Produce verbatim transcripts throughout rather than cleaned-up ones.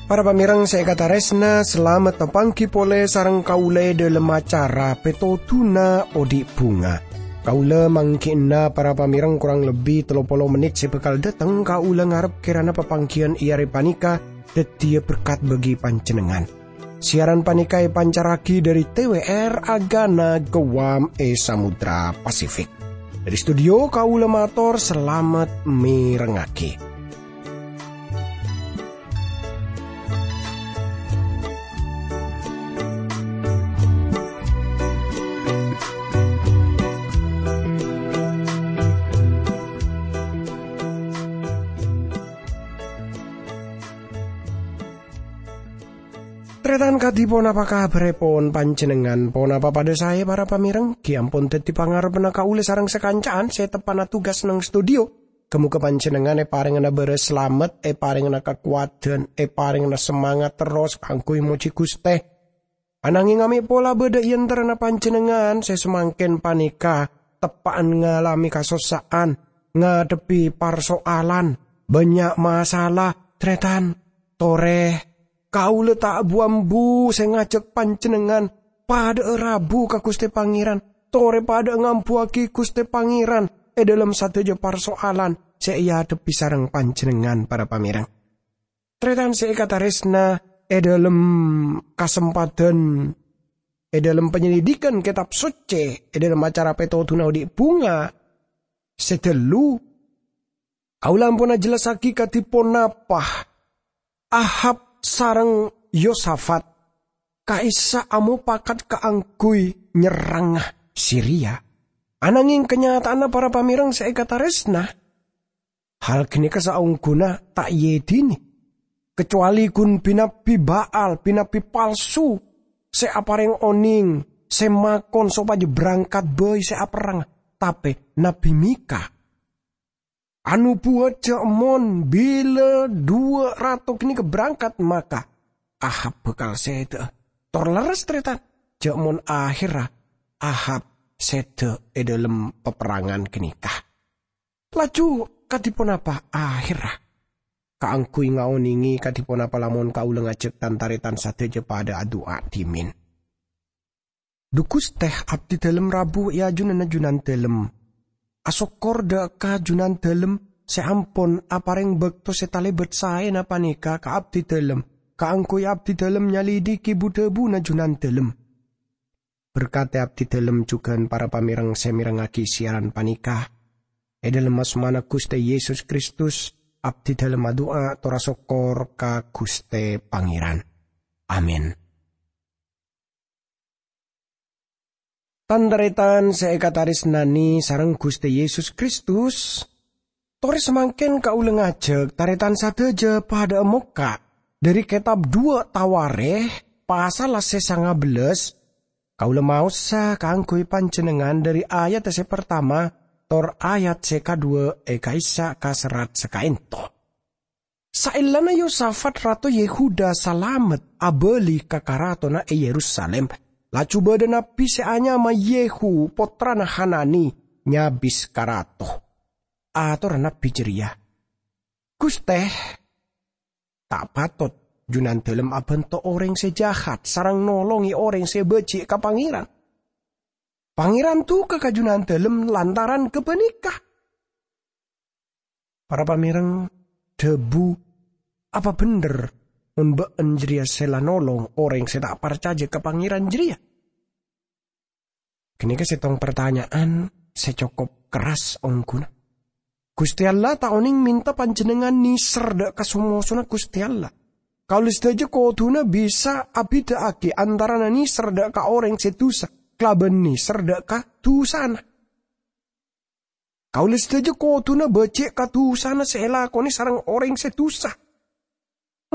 Para pamèrèng sè èkatarèsna, salamet tapangghi polè sareng kaulâ è dhâlem acara Pètodhuna Odi' Bhunga. Kaulâ mangghi'na para pamèrèng korang lebbi tello polo mennit sè bhâkal dhâteng, kaulâ ngarep kèrana papangghiyân è arè panèka dhâddhiyâ berkat bagi panjhennengngan. Siaran panèka èpancarraghi dhâri T W R Agana Guam è Samudra Pasifik. Dhâri studio kaulâ mator salamet mèrengngaghi. Tarètan kadhi ponapa kabhârèpon panjhennengngan? Ponapa padhâ saè, para pamèrèng? Ghi' ampon dhâddhi pangarebbhânna kaulâ sareng sakanca'an sè teppa'na tugas neng studio. Ghâ-mogâ panjhennengngan èparèngana bârâs salamet, èparèngana kakowadhân, èparèngana samangat terros kaangghuy mojhi Ghustè. Ananghing amè' pola bâdâ è antarana panjhennengngan sè samangkèn panèka teppa'an ngalamè kasossa'an, ngadhebbhi parso'alan, bânnya' masalah, tarètan. Torè, kaulâ ta' bu-ambu sè ngajhâk panjhennengngan padhâ'â rabu ka Ghustè Pangèran, torè padhâ'â ngambuwâghi Ghustè Pangèran è dhâlem sadhâjâ parso'alan sè èadhebbhi sareng panjhennengngan, para pamèrèng. Tarètan sè èkatarèsna, è dhâlem kasempadhân, è dhâlem panyelidikan Kètab Soccè, è dhâlem acara Pètodhuna Odi' Bhunga sè ghâllu, kaulâ ampon ajhellassaghi kadhi ponapa Ahab sareng Yosafat ka'issa' amopakat kaangghuy nyerranga Siria. Ananghing kanyata'anna, para pamèrèng sè èkatarèsna, hal ghânèka saongghuna ta' èèdinè, kacowalè ghun bi-nabbi Baal, bi-nabbi palsu sè aparèng onèng, sè makon sopajâ berangkat bhâi sè aperrang. Tapè Nabbi Mika anobuwât jhâ' mon bilâ duwâ' rato ghânèka berangkat, maka Ahab bhâkal sèdhâ'â. Tor lerres, tarètan, jhâ' mon ahèrra Ahab sèdhâ è dhâlem paperrangan ghânèka. Laju kadhi ponapa ahèrra? Kaangghuy ngaonèngè kadhi ponapa lamon kaulâ ngajhâk tan-tarètan sadhâjâ padhâ adu'a dhimèn. Dhu Ghustè, abdhidhâlem rabu è ajunanna Junandhâlem. Asokkor dhâ' ka Junandhâlem sè ampon aparèng bâkto sè talèbât saèna panèka ka abdhidhâlem, kaangghuy abdhidhâlem nyalèdhighi bu-dhâbuna Junandhâlem. Berkadhi abdhidhâlem jhughân para pamèrèng sè mèrengngaghi siaran panèka. È dhâlem asmana Ghustè Yesus Kristus, abdhidhâlem adu'a tor asokkor ka Ghustè Pangèran. Amin. Tan-tarètan sè èkatarèsnanè sareng Ghustè Yesus Kristus, torè samangkèn kaulâ ngajhâk tarètan sadhâjâ padhâ'â mokka' dhâri kètab duwâ' Tawarèkh, pasalla sè sanga bellâs. Kaulâ maosa kaangghuy panjhennengngan dhâri ayat sè partama tor ayat sè kaduwâ' è ka'issa' ka serrat sakaènto. Saellana Yosafat, rato Yehuda salamet abâli ka karatonna è Yerusalim, laju bâdâ nabbi sè anyama Yehu, pottrana Hanani, nyabis ka rato. Atorra nabbi jârèya, "Ghustè, ta' patot Junandhâlem abhânto orèng sè jahat sareng nolongè orèng sè bâji' ka Pangèran. Pangèran duka ka Junandhâlem lantaran ghâpanèka." Para pamèrèng, dhâbu, apa bhender mon bâ'en jârèya sè la nolong orèng sè ta' parcajâ ka Pangèran jârèya? Ghânèka sèttong partanya'an sè cokop kerras ongghuna. Ghustè Allah ta' onèng mènta panjhennengngan nèser dhâ' ka so-mosona Ghustè Allah. Kaulâ sadhâjâ kodhuna bisa abhidhâ'aghi antarana nèser dhâ' ka orèng sè dusa kalabân nèser dhâ' ka dusana. Kaulâ sadhâjâ kodhuna bâji' ka dusana sè èlakonè sareng orèng sè dusa.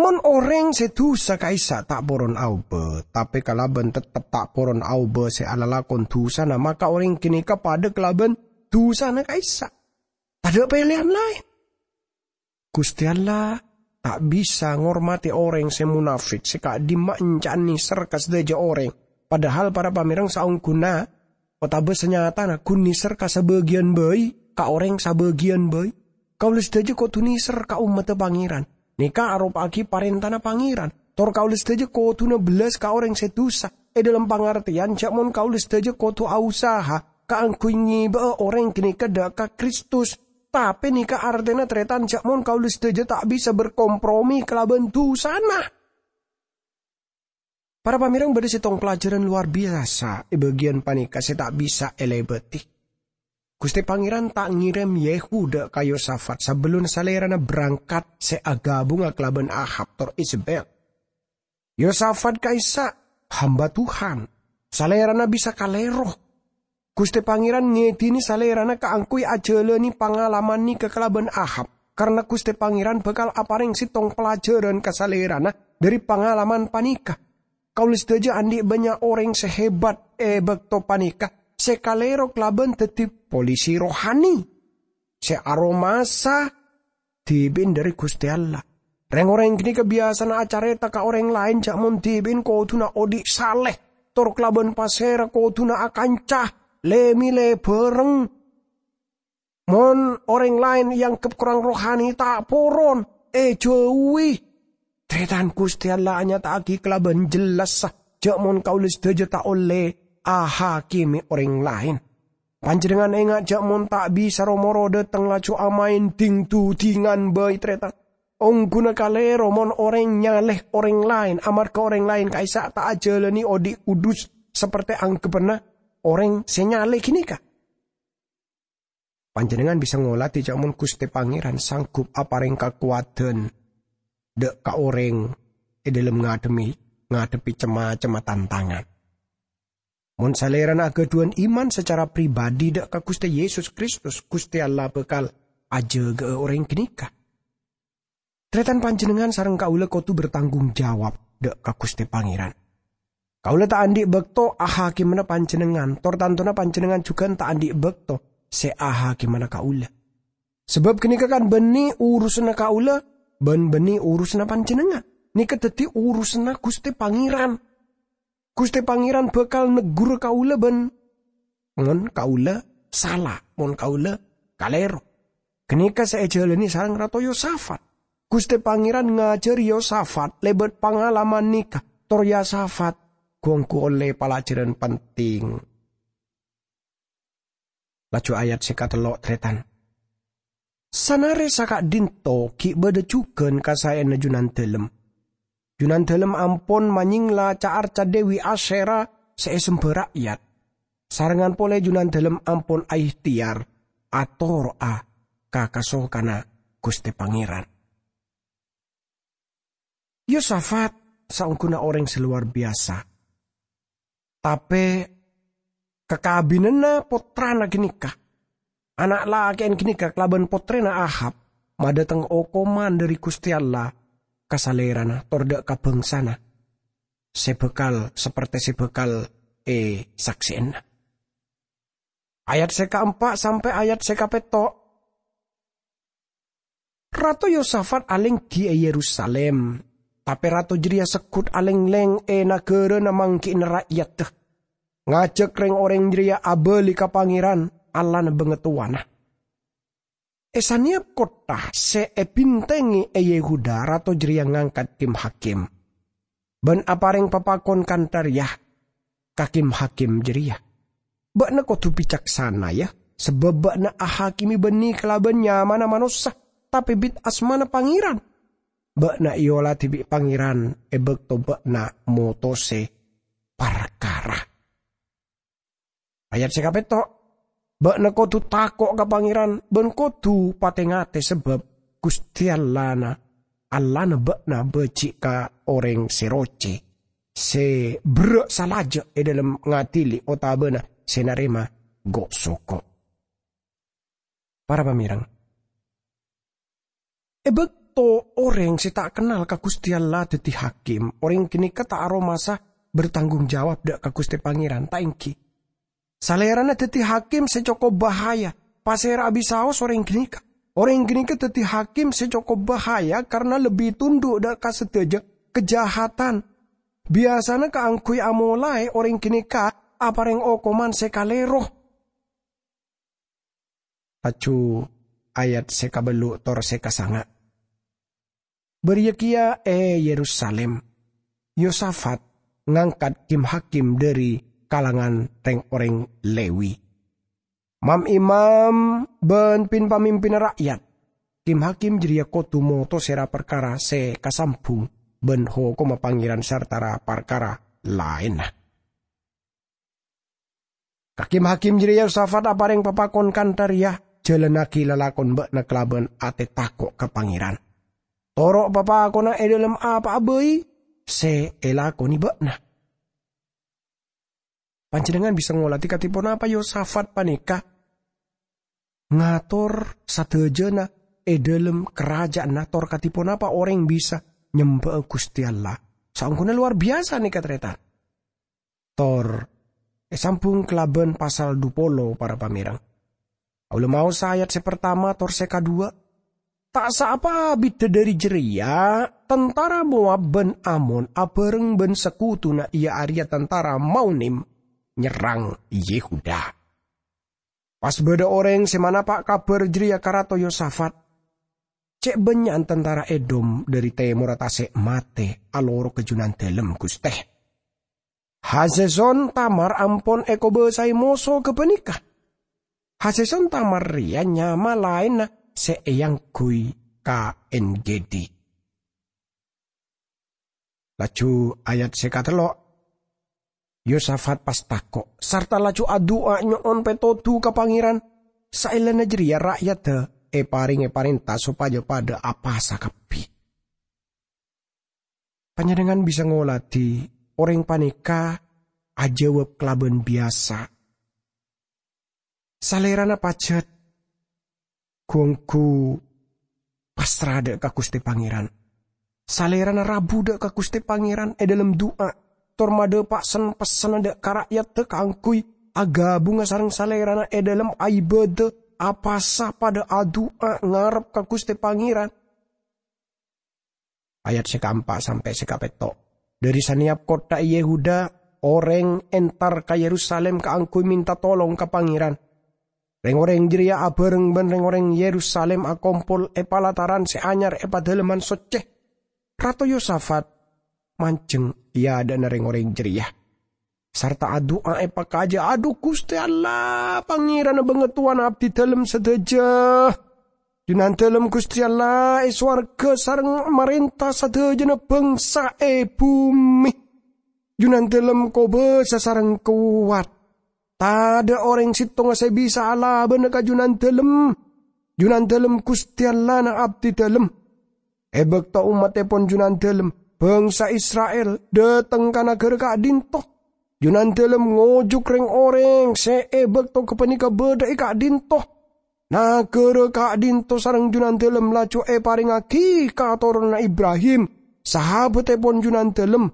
Mon orèng sè dusa ka'issa' ta' poron aobâ, tapè kalabân tettep ta' poron aobâ sè alalakon dusana, maka orèng ghânèka padâ kalabân dusana ka'issa'. Tadâ' pèlèyan laèn. Ghustè Allah ta' bisa ngormadhi orèng sè monafèk, sè ka'dimma ènca'an nèser ka sadhâjâ orèng. Padahal, para pamèrèng, saongghuna otabâ sanyatana ghun nèser ka sabâgiyân bhâi, ka orèng sabâgiyân bhâi. Kaulâ sadhâjâ kodhu nèser ka ommaddhâ Pangèran. Nèka aropa'aghi parèntana Pangèran. Tor kaulâ sadhâjâ kodhuna bellas ka orèng sè dusa. È dhâlem pangartèyan jhâ' mon kaulâ sadhâjâ kodhu ausaha kaangghuy ngèbâ'â orèng ghânèka dhâ' ka Kristus. Tapè nèka artèna, tarètan, jhâ' mon kaulâ sadhâjâ ta' bisa berkompromi kalabân dusana. Para pamèrèng, bâdâ sèttong pelajaran luar biasa è bâgiyân panèka sè ta' bisa èlèbâdhi. Ghustè Pangèran ta' ngèrèm Yehu dhâ' ka Yosafat sabellunna salèrana berangkat sè aghâbungnga kalabân Ahab tor Izebel. Yosafat ka'issa' hamba Tuhan. Salèrana bisa kalèro. Ghustè Pangèran ngèdhinè salèrana kaangghuy ajhâlânè pangalaman nèka kalabân Ahab, karna Ghustè Pangèran bhâkal aparèng sèttong pelajaran ka salèrana dhâri pangalaman panèka. Kaulâ sadhâjâ andi' bânnya' orèng sè hebat è bâkto panèka sè kalèro kalabân dhâddhi polisi rohani sè aromasa dhibi'na dhâri Ghustè Allah. Rèng-orèng ghânèka biyasana acarèta ka orèng laèn jhâ' mon dhibi'na kodhuna odi' salè, tor kalabân pasèra kodhuna akanca, lè-mèlè bhâreng. Mon orèng laèn èangghep korang rohani, ta' poron, èjhâuwi. Tarètan, Ghustè Allah anyata'aghi kalabân jellassa jhâ' mon kaulâ sadhâjâ ta' ollè ahakimè orèng laèn. Panjhennengngan enga' jhâ' mon ta' bisa ro-moro dâteng laju amaèn dhing-dhudhingan bhâi, tarètan. Ongghuna kalèro mon orèng nyalè orèng laèn amarghâ orèng laèn ka'issa' ta' ajhâlânè odi' kudus saperte angghebbhâna orèng sè nyalè ghânèka. Panjhennengngan bisa ngolatè jhâ' mon Ghustè Pangèran sanggup aparèng kakowadhân dâ' ka orèng è dhâlem ngadhemmi-, ngadhebbhi cem-macemma tantangan. Mon salèrana aghâdhuwân iman sacara pribadi dâ' ka Ghustè Yesus Kristus, Ghustè Allah bhâkal ajâgâ'â orèng ghânèka. Tarètan, panjhennengngan sareng kaulâ kodhu bertanggung jawab dâ' ka Ghustè Pangèran. Kaulâ ta' andi' bâkto ahakimana panjhennengngan, tor tantona panjhennengngan jhughân ta' andi' bâkto sè ahakimana kaulâ. Sabâb ghânèka kan bânnè urusanna kaulâ bân bânnè urusanna panjhennengngan. Nèka dhâddhi urusanna Ghustè Pangèran. Ghustè Pangèran bhâkal neggur kaulâ bân mon kaulâ sala, mon kaulâ kalèro. Ghânèka sè èjhâlânè sareng Rato Yosafat. Ghustè Pangèran ngajhâri Yosafat lèbât pangalaman nèka, tor Yosafat ghu-ongghu ollè palajhârân penting. Laju ayat sè katello', tarètan. Sanare saka'dhinto gi' badha jugan kasae'anna Junandalem. Junandalem ampon manyengla ca'-arca' Dewi Asyera se esemba ra'yat. Sarengngan pole Junandalem ampon aehteyar atoro'a ka kasokanna Guste Pangeran. Yosafat saongguna oreng se lowar biyasa. Tape kakabinanna pottrana ganeka, ana' lake'en ganeka kalaban pottrena Ahab, madhateng okoman dhari Guste Allah ka salerana tor dha' ka bangsana se bakal saperte se bakal esakse'ana. Ayat se kaempa' sampe' ayat se kapetto'. Rato Yosafat alenggi e Yerusalim, tape rato jareya seggut alengleng e nagarana manggi'na ra'yadda, ngajak reng-oreng jareya abali ka Pangeran, Allahna bangatowana. E saneyap kottha se ebintengnge e Yehuda, rato jareya ngangkat kim-hakim. Ban apareng papakon kantha reya ka kim-hakim jareya, "Ba'na kodu bicaksana, ya, sabab ba'na ahakime banne kalaban nyamana manossa, tape bit asmana Pangeran. Ba'na eoladi bi' Pangeran e bakto ba'na motose parkara." Ayat se kapetto', "Ba'na kodu tako' ka Pangeran ban kodu pate-ngate, sabab Guste Allahna, Allahna ba'na baji' ka oreng se roce, se berra' salaja' e dhalem ngadili otabana se narema go'-soko'." Para pamereng, e bakto oreng se ta' kennal ka Guste Allah daddi hakim, oreng ganeka ta' aromasa bertanggung jawab dha' ka Guste Pangeran, ta' enggi? Salerana daddi hakim se cokop bahaya. Pasera abisaos oreng ganeka? Orèng ghânèka dhâddhi hakim sè cokop bahaya karana lebbi tondhu' dhâ' ka sadhâjâ kajahatan. Biyasana kaangghuy amolaè orèng ghânèka aparèng okoman sè kalèro. Laju ayat sè kabellu' tor sè kasanga'. Bâriyâ kèya è Yerusalim, Yosafat ngangkat kim-hakim dhâri kalangan rèng-orèng Lewi. Mam-imam bân pin-pamimpinna ra'yat, kim-hakim jârèya kodhu moto sèra parkara sè kasambhung bân hokomma Pangèran sarta ra-, parkara laènna. Ka kim-hakim jârèya Yosafat aparèng papakon kantha rèya, "Jhâlânnaghi lalakon bâ'na kalabân atè tako' ka Pangèran. Toro' papakonna è dhâlem apa'a bhâi sè èlakonè bâ'na." Panjhennengngan bisa ngolatè kadhi ponapa Yosafat panèka ngator sadhâjâna è dhâlem karaja'anna, tor kadhi ponapa orèng bisa nyembhâ'â Ghustè Allah. Saongghuna lowar biyasa nèka, tarètan. Tor èsambhung kalabân pasal dhu polo, para pamèreng. Kaulâ maosa ayat sè partama tor sè kaduwâ'. Ta' saapa abiddhâ dhâri jârèya, tantara Moab bân Amon abhâreng bân sakotona, iyâ arèya tantara Maunim, nyerrang Yehuda. Pas bâdâ orèng sè manapa' kabhâr jârèya ka Rato Yosafat, "Cè' bânnya'an tantara Edom dhâri tèmorra tasè' matè aloro ka Junandâlem, Ghustè. Haseson Tamar ampon èkobâsaè moso ghâpanèka. Haseson Tamar rèya nyama laènna sè èangghuy ka En-Gedi." Laju ayat sè katello', Yosafat pas tako', sarta laju adu'a nyo'on pètodhu ka Pangèran. Saellana jârèya ra'yadda èparèngè parènta sopajâ padâ apasa kabbhi. Panjhennengngan bisa ngolatè orèng panèka ajâwâb kalabân biyasa. Salèrana pajhât, ghu-ongghu pasra dhâ' ka Ghustè Pangèran. Salèrana rabu dhâ' ka Ghustè Pangèran è dhâlem du'a, tor madhâpa' sen-pessenna dhâ' ka ra'yadda kaangghuy aghâbunga sareng salèrana è dhâlem aibâdâ, apasa padâ adu'a ngarep ka Ghustè Pangèran. Ayat sè kaempa' sampè' sè kapètto'. Dhâri sanèyap kottha è Yehuda, orèng entar ka Yerusalim kaangghuy mènta tolong ka Pangèran. Rèng-orèng jârèya abhâreng bân rèng-orèng Yerusalim akompol è palataran sè anyar è Padâlemman Soccè. Rato Yosafat manjheng è adâ'na rèng-orèng jârèya, sarta adu'a èpakajâ, "Adhu, Ghustè Allah, Pangèranna bângatowana abdidâlem sadhâjâ! Junandâlem Ghustè Allah è sowarghâ sareng marènta sadhâjâna bhângsa è bhumè. Junandâlem kobâsa sareng kowat. Tadâ' orèng sèttonga sè bisa alabâna ka Junandâlem, Junandâlem Ghustè Allahna abdidâlem. È bâkto ommattèpon Junandâlem, bhângsa Isra'il, dâteng ka naghârâ ka'dinto, Junandâlem ngojuk rèng-orèng sè è bâkto ghâpanèka bâdâ è ka'dinto. Naghârâ ka'dinto sareng Junandâlem laju èparèngaghi ka toronanna Ibrahim, sahabattèpon Junandâlem,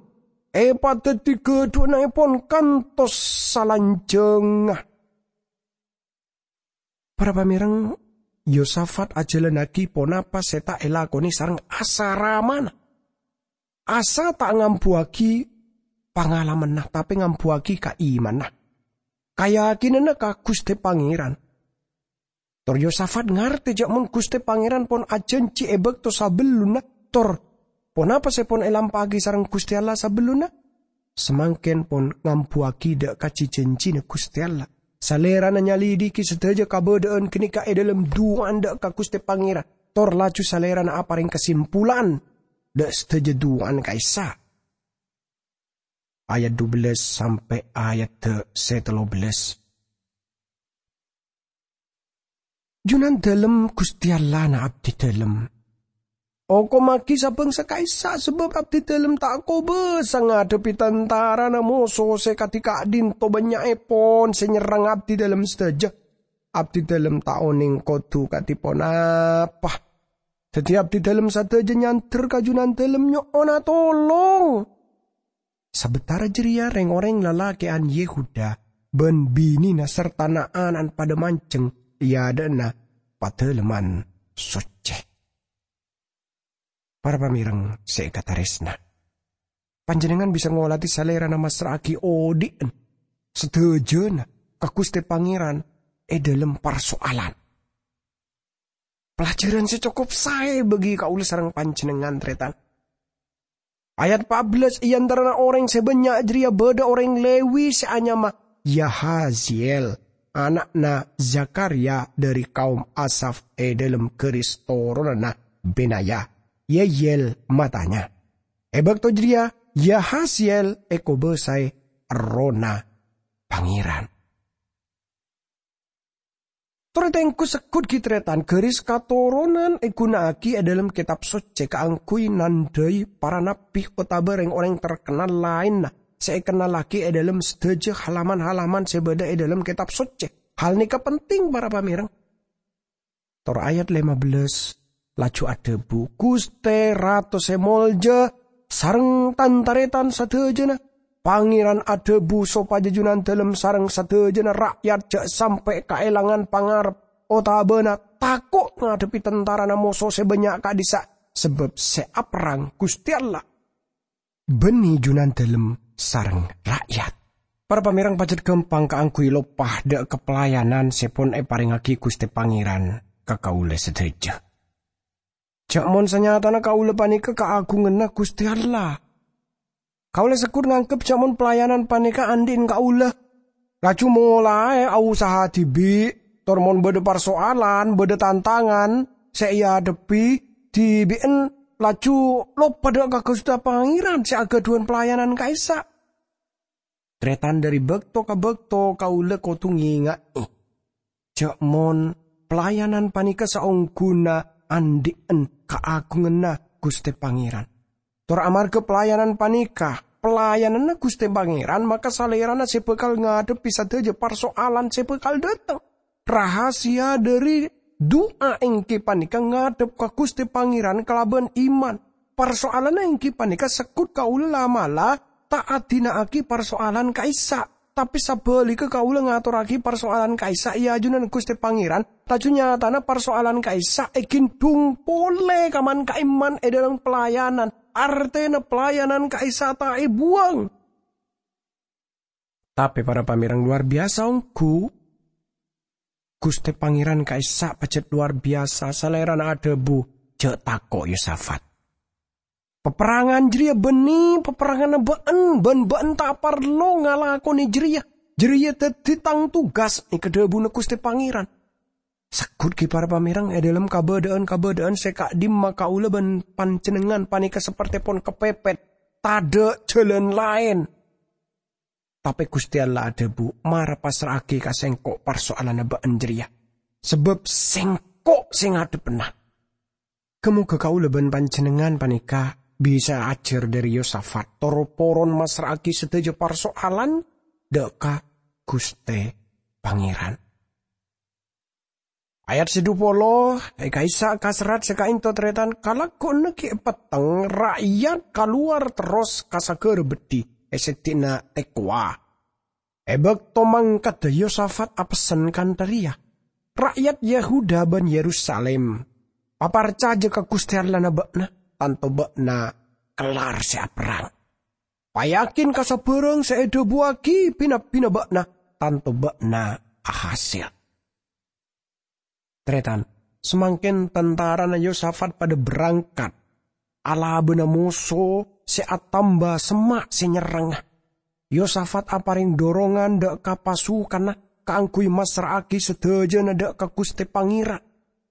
èpadhâddhi ghâdhuwânnaèpon kantos salanjhângnga." Para pamèreng, Yosafat ajhâlânnaghi ponapa sè ta' èlakonè sareng Asa ramana. Asa ta' ngambuwâghi pangalammanna, tapè ngambuwâghi kaimanna, kayakinanna ka Ghustè Pangèran. Tor Yosafat ngartè jâ' mon Ghustè Pangèran pon ajhânjhi è bâkto sabellunna, tor ponapa sè pon èlampa'aghi sareng Ghustè Allah sabellunna, samangkèn pon ngambuwâghi dâ' ka ji-jhânjhina Ghustè Allah. Salèrana nyalidiki sadhâjâ kabâdâ'ân ghânèka è dhâlem du'ana dâ' ka Ghustè Pangèran, tor laju Salèrana aparèng kasimpulan dâ' sadhâjâ du'ana ka'issa'. Ayat dubellâs sampè' ayat sè tello bellâs. Junandâlem Ghustè Allahna abdidâlem, okommaghi sabângsa ka'issa', sabâb abdidâlem ta' kobâsa ngadhebbhi tantarana moso sè kadhi ka'dinto bânnya'èpon sè nyerrang abdidâlem sadhâjâ. Abdidâlem ta' onèng kodhu kadhi ponapa. Dhâddhi abdidâlem sadhâjâ nyandher ka Junandâlem nyo'ona tolong. Sabâtara jârèya rèng-orèng lalakè'an Yehuda bân binèna sarta na'-ana'na padâ manjheng è adâ'na Padâlemman Socce. Para pamèreng sè èkatarèsna, panjhennengngan bisa ngolatè salèrana massra'aghi odhi'na sadhâjâna ka Ghustè Pangèran è dhâlem parso'alan. Pelajaran sè cokop saè bagi kaulâ sareng panjhennengngan, tarètan. Ayat pa' bellâs, è antarana orèng sè bânnya' jârèya bâdâ orèng Lewi sè anyama Yahaziel, ana'na Zakharya dhâri kaum Asaf è dhâlem ghâris toronanna Benaya. Yeyel matanya. È bâkto jârèya Yahaziel èkobâsaè Errohna Pangèran. Torè tengghu segghut ghi' tarètan, ghâris katoronan èghuna'aghi è dhâlem Kètab Socce kaangghuy nandhâi para nabbhi otabâ rèng-orèng terkennal laènna sè èkennallaghi è dhâlem sadhâjâ halaman-halaman sè bâdâ è dhâlem Kètab Socce. Hal nèka penting, para pamèreng. Tor ayat lèma bellâs laju adhâbu, "Ghustè Rato sè molja sareng tan-tarètan sadhâjâna, Pangèran adhâbu sopajâ Junandalem sareng sadhâjâna ra'yat jhâ' sampè' kaèlangan pangarep otabâna tako' ngadhebbhi tantarana moso sè bânnya' ka'dhissa', sabâb sè aperrang Ghustè Allah." Bânnè Junandalem sareng ra'yat. Para pamèreng, pajhât ghâmpang kaangghuy loppa dâ' ka pelayanan sè pon èparèngaghi Ghustè Pangèran ka kaulâ sadhâjâ. Jhâ' mon sanyatana kaulâ panèka kaagunganna Ghustè Allah. Kaulâ segghut nganggep jhâ' mon pelayanan panèka andhi'en kaulâ, laju molaè ausaha dhibi', tor mon bâdâ parsoalan, bâdâ tantangan sè èadhebbhi dhibi'en, laju loppa dâ' ka Ghustè Pangèran sè aghâdhuwân pelayanan ka'issa'. Tarètan, dhâri bâkto ka bâkto kaulâ kodhu ngènga'è jhâ' mon pelayanan panèka saongghuna andhi'en kaagunganna Ghustè Pangèran. Tor amarghâ pelayanan panèka pelayananna Ghustè Pangèran, maka Salèrana sè bhâkal ngadhebbhi sadhâjâ parsoalan sè bhâkal dâteng. Rahasia dhâri du'a èngghi panèka ngadhep ka Ghustè Pangèran kalabân iman. Parsoalanna èngghi panèka segghut kaulâ la'-mala' ta' adina'aghi parsoalan ka'issa'. Tapè sabhâligghâ kaulâ ngatorraghi parsoalan ka'issa' è ajunan Ghustè Pangèran, laju nyatana parsoalan ka'issa' èghindhung polè kaman-ka'imman è dhâlem pelayanan. Artèna pelayanan ka'issa' ta' èbuwâng. Tapè para pamèreng, luar biyasa ongghu. Ghustè Pangèran ka'issa' pajhât luar biyasa, Salèrana adhâbu, "Jhâ' tako', Yosafat. Paperrangan jârèya bânnè paperranganna bâ'en, bân bâ'en ta' parlo ngalakonè jârèya. Jârèya dhâddhi tang tugas," nèka dhâbuna Ghustè Pangèran. Segghut ghi' para pamèreng, è dhâlem kabâdâ'ân-kabâdâ'ân sè ka'dimma kaulâ bân panjhennengngan panèka saperte pon kapèpèt, tadâ' jhâlân laèn. Tapè Ghustè Allah adhâbu, "Mara passra'aghi ka Sèngko' parsoalanna bâ'en jârèya, sabâb Sèngko' sè ngadhebbhâna." Ghâ-moghâ kaulâ bân panjhennengngan panèka bisa ajhâr dhâri Yosafat, tor poron massra'aghi sadhâjâ parsoalan dâ' ka Ghustè Pangèran. Ayat sè dhu polo, è ka'issa' ka serrat sè ka'ento tarètan, kalagguwânna ghi' petteng ra'yat kalowar terros ka saghârâ beddhi è seddi'na Tekowa. È bâkto mangkaddhâ Yosafat apessen kantha rèya, "Ra'yat Yehuda bân Yerusalim, paparcajâ ka Ghustè Allahna bâ'na, tanto bâ'na kellar sè aperrang. Payakin ka sabârâng sè èdhâbuwaghi bi-nabbhina bâ'na, tanto bâ'na ahasèl." Tarètan, samangkèn tantarana Yosafat padâ berangkat, alabâna moso sè atamba semma' sè nyerrengnga. Yosafat aparèng dorongan dâ' ka pasukanna kaangghuy massra'aghi sadhâjâna dâ' ka Ghustè Pangèran.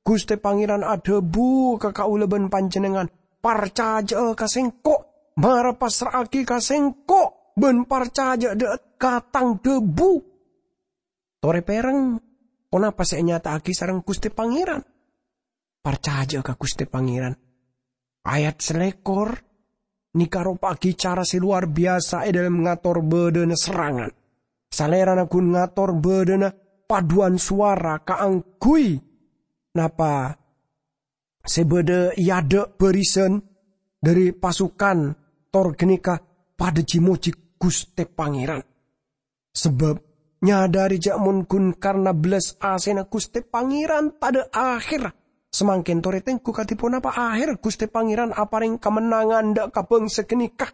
Ghustè Pangèran adhâbu ka kaulâ bân panjhennengngan, "Parcajâ'â ka Sèngko', mara passra'aghi ka Sèngko', bân parcajâ dâ' ka tang dhâbu." Torè pèrèng, ponapa sè ènyata'aghi sareng Ghustè Pangèran? Parcajâ'â ka Ghustè Pangèran. Ayat salèkor nèka aropa'aghi cara sè lowar biyasa è dhâlem ngator bâdâna serrangan. Salèrana ghun ngator bâdâna padhuwân sowara kaangghuy napa sè bâdâ è adâ' bârisan dhâri pasukan tor ghânèka padâ ji-mojhi Ghustè Pangèran. Sabâb nyadâri jâ' mon ghun karna bellas asèna Ghustè Pangèran tadâ' ahèrra, Samangkèn torè tengghu kadhi ponapa aher Ghustè Pangèran aparèng kamennangan dâ' ka bhângsa ghânèka.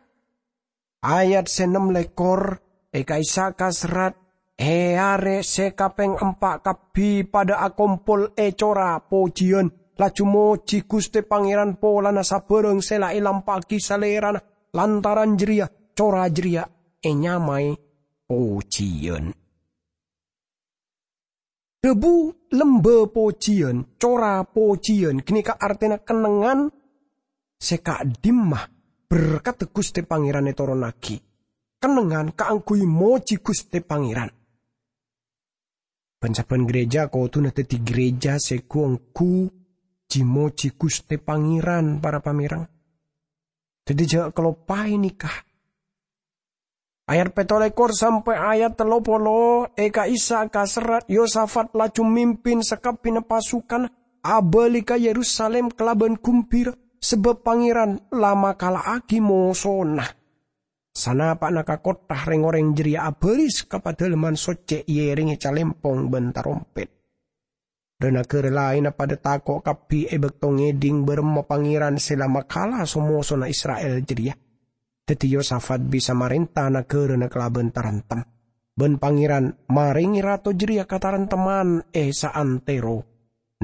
Ayat sè ennem lèkor, è ka'issa' kaserrat, è arè sè kapèng empa' kabbhi padâ akompol è cora pojiyân, laju mojhi Ghustè Pangèran polana sabârâng sè la èlampa'aghi Salèrana. Lantaran jârèya, cora jârèya ènyamaè Pojiyân. Dhâbu lembâ pojiyân, cora pojiyân, ghânèka artèna kennengngan sè ka'dimma berkatta Ghustè Pangèran ètoronnaghi. Kennengngan kaangghuy mojhi Ghustè Pangèran. Bân sabbhân ghârèjâ kodhuna dhâddhi ghârèjâ sè ghu-ongghu ji-mojhi Ghustè Pangèran, para pamèreng. Dhâddhi jhâ' kaloppaè nèka. Ayat pètto lèkor sampè' ayat tello polo, è ka'issa' kaserrat Yosafat laju mimpin sakabbhiyânna pasukan abâli ka Yerusalim kalabân ghumbira, sabâb Pangèran la makala'aghi mosona. Sanapa'na ka kottha, rèng-orèng jârèya abâris ka Padâlemman Soccè èèrèngè calèmpong bân tarompèt. Dhâ-naghârâ laènna padâ tako' kabbhi è bâkto ngèdhing bârâmma Pangèran sè la makala so-mosona Isra'il jârèya. Dhâddhi Yosafat bisa marènta naghârâna kalabân tarentem, bân Pangèran marèngè rato jârèya katarentemman è saantèro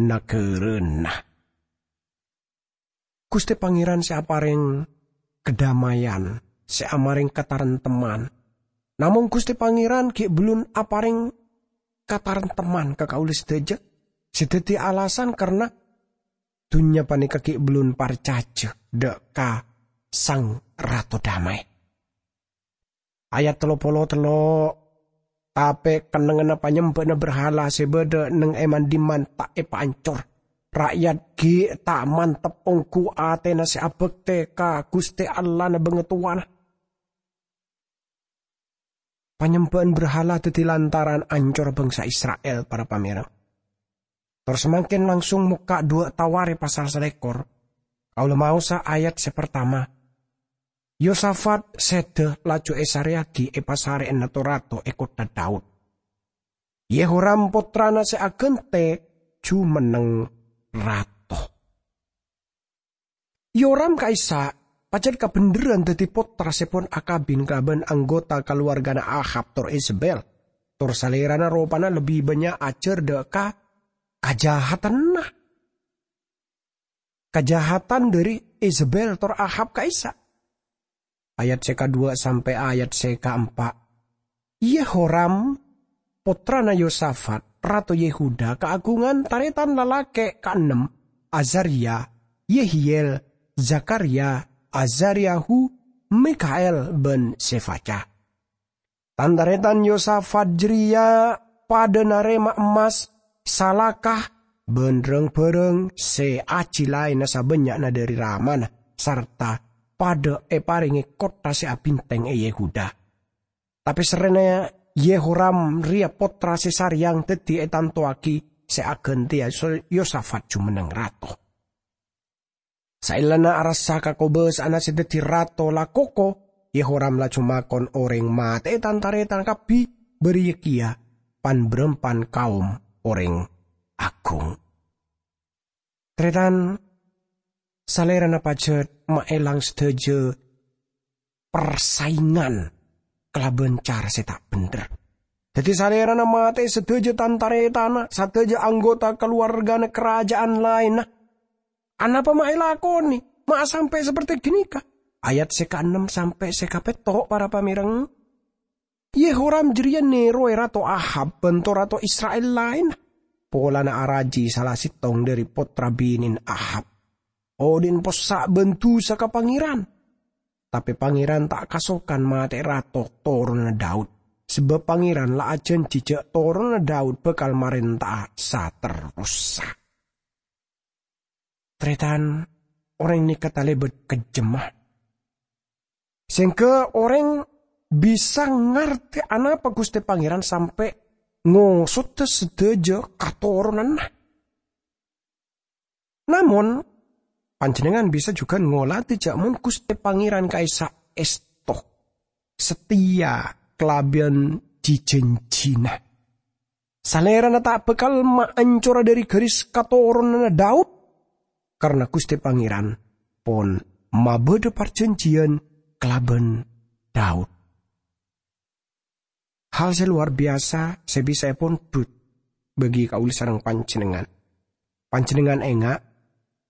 naghârâna. Ghustè Pangèran sè aparèng kadhâmâyan, sè amarèng katarentemman. Namong Ghustè Pangèran ghi' bellun aparèng katarentemman ka kaulâ sadhâjâ, sè dhâddhi alasan karna dhunnya panèka ghi' bellun parcajâ dâ' ka Sang Rato Damai. Ayat tello polo tello', "Tapè kennengnganna panyembâ'na brahala sè bâdâ neng è man-dimman ta' èpaancor. Ra'yat ghi' ta' mantep ongghu atèna sè abhâktè ka Ghustè Allahna bangatowana." Panyembâ'an brahala dhâddhi lantaran ancor bangsa Isra'il, para pamèreng. Tor samangkèn langsung mokka' duwâ' Tawarikh pasal salèkor. Kaulâ maosa ayat sè partama. Yosafat sèdhâ laju èsarèyaghi èpasarè'ana to-rato è kottha Daud. Yehoram, pottrana sè aghântè, jumenneng rato. Yoram ka'issa' pajhât kabhendherrân dhâddhi pottra sè pon akabin kalabân anggota kalowargana Ahab tor Izebel. Tor salèrana ropana lebbi bânnya' ajhâr dâ' ka kajahatanna. Kajahatan dhâri Izebel tor Ahab ka'issa'. Ayat sè kaduwâ' sampè' ayat sè kaempa'. Yehoram, pottrana Yosafat, rato Yehuda, kaagungan tarètan lalakè' kaennem, Azarya, Yehiel, Zakarya, Azaryahu, Mikael, bân Sefaja. Tan-tarètan Yosafat jârèya padâ narèma emmas, salaka, bân rang-bhârâng sè ajhi laènna sabânnya'na dhâri ramana, sarta padâ èparèngè kottha sè abhintèng è Yehuda. Tapè serrèna Yehoram rèya pottra sè sarèyang dhâddhi ètantowaghi sè aghântèya So-, Yosafat jumenneng rato. Saellana arassa kakobâsa'anna sè dhâddhi rato la koko, Yehoram laju makon orèng matè'è tan-tarètan kabbhi, bâriyâ kèya pan-bârâmpan kaom orèng aghung. Tarètan, salèrana pajhât maèlang sadhâjâ parsaèngan kalabân cara sè ta' bhendher. Dhâddhi, salèrana matè'è sadhâjâ tan-tarètanna, sadhâjâ anggota kalowargana karaja'an laènna. Anapa ma' èlakonè? Ma' sampè' saperti ghânèka? Ayat sè kaennem sampè' sè kapètto', para pamèreng. Yehoram jârèya nèrowè Rato Ahab bân to-rato Isra'il laènna, polana araji sala sèttong dhâri pottra binèna Ahab. Odi'na possa' bân dusa ka Pangèran. Tapè Pangèran ta' kasokan matè'è rato toronanna Daud, sabâb Pangèran la ajhânjhi jhâ' toronanna Daud bhâkal marènta'a saterrossa. Tarètan, orèng nèka talèbât kejjemma. Sèngghâ orèng bisa ngartè anapa Ghustè Pangèran sampè' ngosodhâ sadhâjâ katoronanna. Namong, panjhennengngan bisa jhughân ngolatè jhâ' mon Ghustè Pangèran ka'issa' èsto, sateya kalabân ji-jhânjhina. Salèrana ta' bhâkal maancora dhâri ghâris katoronanna Daud, karna Guste Pangeran pon mabadha parjanjiyan kalaban Daud. Hal se luar biasa se bisa epondhut bagi kaula sareng panjennengngan. Panjennengngan enga',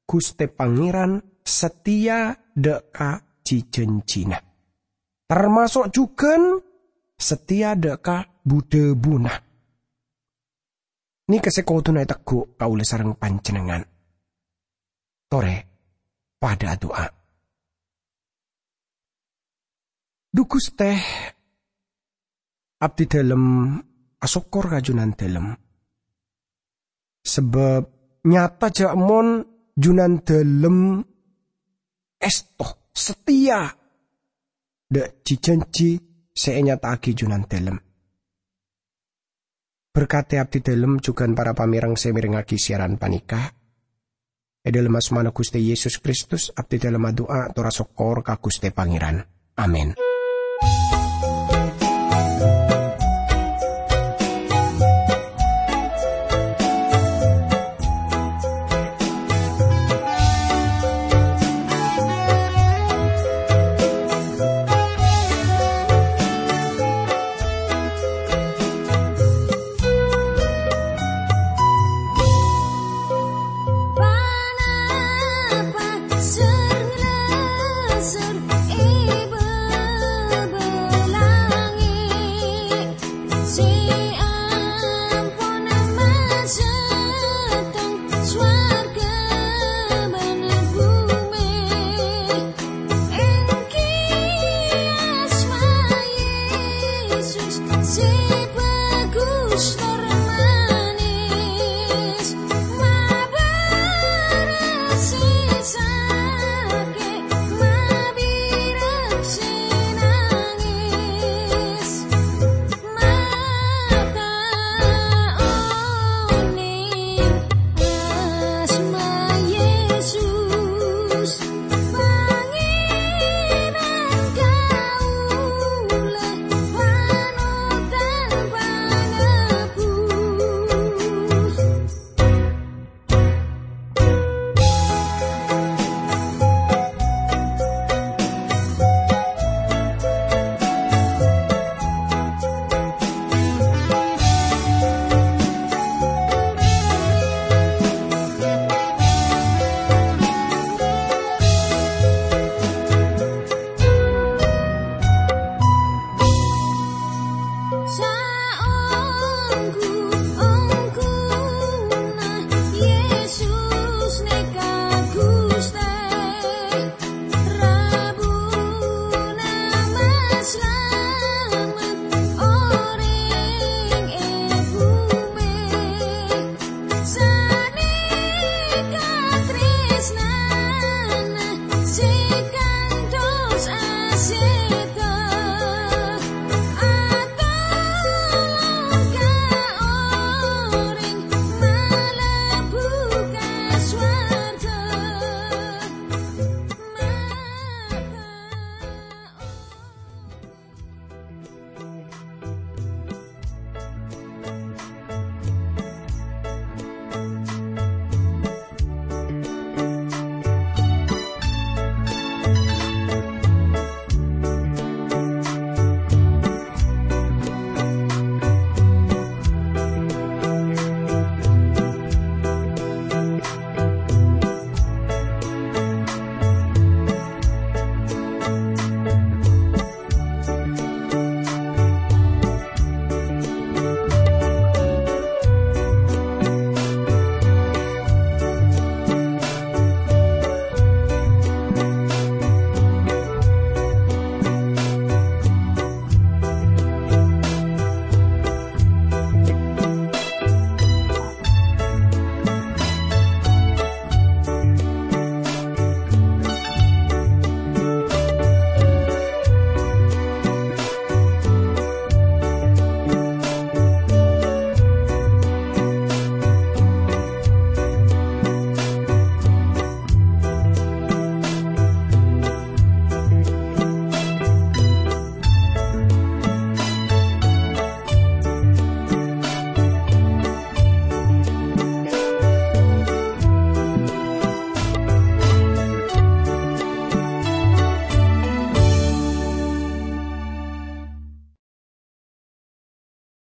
Guste Pangeran sateya dha' ka ji-janjina, tamaso' jugan sateya dha' ka bu-dhâbuna. Neka se koduna eteggu' kaula sareng panjennengngan. Tore padha adu'a. Dhu Guste, abdidalem asokkor ka Junandalem, sabab nyata ja' mon Junandalem esto, sateya dha' ji-janji se enyata'agi Junandalem. Berkate abdidalem jugan para pamereng se merengngagi siaran paneka. E dhalem asmana Guste Yesus Kristus, abdidalem adu'a tor asokkor ka Guste Pangeran. Amin.